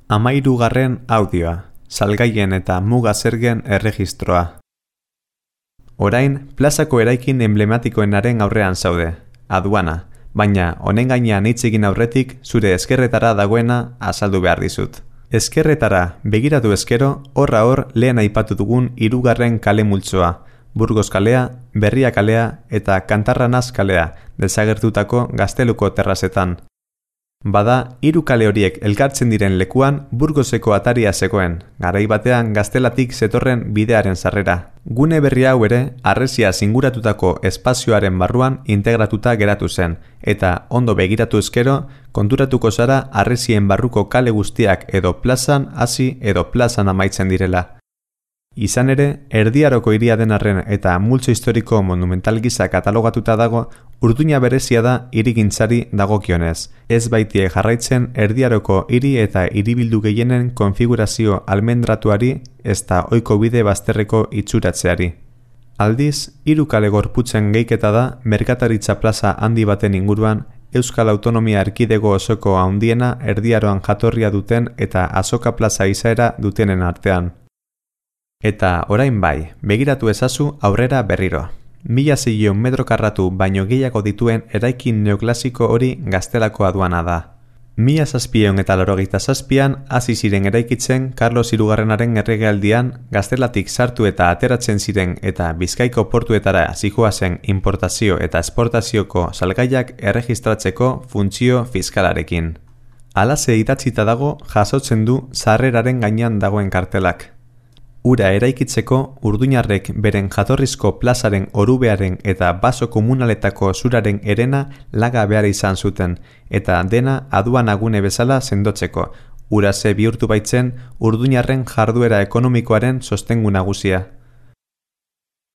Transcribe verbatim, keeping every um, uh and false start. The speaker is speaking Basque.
Hamahirugarren audioa, salgaien eta muga zergen erregistroa. Orain, plazako eraikin emblematikoenaren aurrean zaude, aduana, baina honen gainean hitz egin aurretik zure ezkerretara dagoena azaldu behar dizut. Ezkerretara begiratu ezkero, horra hor lehen aipatu dugun hirugarren kale multzoa, Burgos kalea, Berria kalea eta Kantarranaz kalea, desagertutako Gazteluko terrazetan. Bada, hiru kale horiek elkartzen diren lekuan Burgoseko ataria zegoen, garai batean Gaztelatik zetorren bidearen sarrera. Gune berri hau ere, harresia zinguratutako espazioaren barruan integratuta geratu zen, eta ondo begiratu ezkero, konturatuko zara harresien barruko kale guztiak edo plazan hasi edo plazan amaitzen direla. Izan ere, Erdi Aroko hiria den arren eta multzo historiko monumental gisa katalogatuta dago, urduña berezia da hirigintzari dagokionez. Ez baitie jarraitzen Erdi Aroko hiri eta hiribildu gehienen konfigurazio almendratuari ezta ohiko bide bazterreko itxuratzeari. Aldiz, hiru kale gorputzen gehiketa da merkataritza plaza handi baten inguruan Euskal Autonomia Erkidego osoko handiena Erdi Aroan jatorria duten eta Azoka plaza izaera dutenen artean. Eta orain bai, begiratu ezazu aurrera berriro. Mila zeion metro karratu baino gehiago dituen eraikin neoklasiko hori Gaztelako aduana da. Mila zazpiehun eta laurogeita zazpian hasi ziren eraikitzen Karlos hirugarrenaren erregealdian Gaztelatik sartu eta ateratzen ziren eta Bizkaiko portuetara zihoazen importazio eta esportazioko salgaiak erregistratzeko funtzio fiskalarekin. Halaxe idatzita dago jasotzen du sarreraren gainean dagoen kartelak. Ura eraikitzeko urduñarrek beren jatorrizko plazaren orubearen eta baso komunaletako zuraren herena laga behar izan zuten, eta dena aduanagune bezala sendotzeko, urase bihurtu baitzen urduñarren jarduera ekonomikoaren sostengu nagusia.